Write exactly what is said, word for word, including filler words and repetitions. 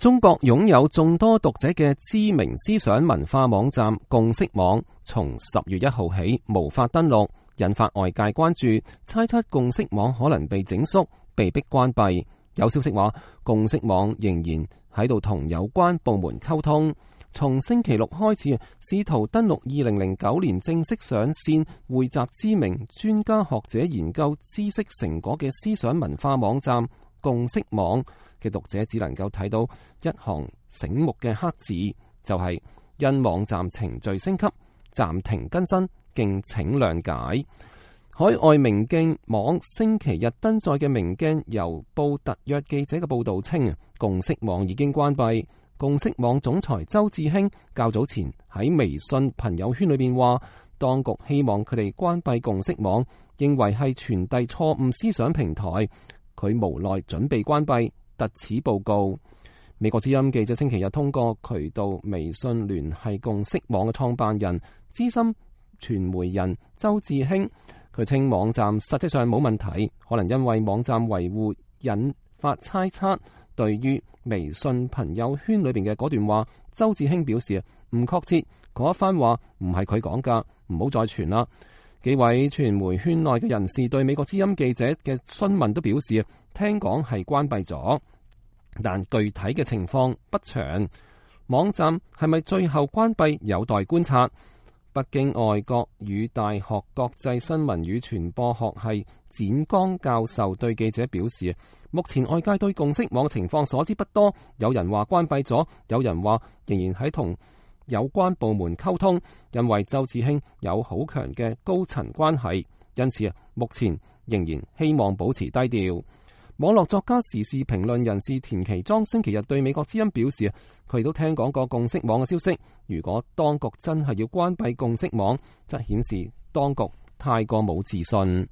中國擁有眾多讀者嘅知名思想文化網站共識網，從十月一號起無法登錄，引發外界關注，猜測共識網可能被整肅，被迫關閉。有消息話，共識網仍然喺度同有關部門溝通，從星期六開始試圖登錄二零零九年正式上線、匯集知名專家學者研究知識成果嘅思想文化網站共識網嘅讀者只能夠睇到一行醒目嘅黑字，就係、是、因網站程序升級暫停更新，敬請諒解。海外明鏡網星期日登載嘅明鏡郵報特約記者嘅報道稱，共識網已經關閉。共識網總裁周志興較早前喺微信朋友圈裏邊話，當局希望佢哋關閉共識網，認為係傳遞錯誤思想平台，佢無奈準備關閉。特此報告。美國之音記者星期日通過渠道微信聯繫共識網嘅創辦人、資深傳媒人周志興，佢稱網站實際上冇問題，可能因為網站維護引發猜測。對於微信朋友圈裏邊嘅嗰段話，周志興表示唔確切，嗰一番話唔係佢講噶，唔好再傳啦。幾位傳媒圈內嘅人士對美國之音記者嘅詢問都表示，聽講係關閉咗，但具體嘅情況不詳。網站係咪最後關閉有待觀察。北京外國語大學國際新聞與傳播學系展剛教授對記者表示，目前外界對共識網情況所知不多，有人話關閉咗，有人話仍然喺同有關部門溝通，因為周志興有好強嘅高層關係，因此啊，目前仍然希望保持低調。網絡作家、時事評論人士田其莊星期日對美國之音表示，佢亦都聽講過共識網嘅消息。如果當局真係要關閉共識網，則顯示當局太過冇自信。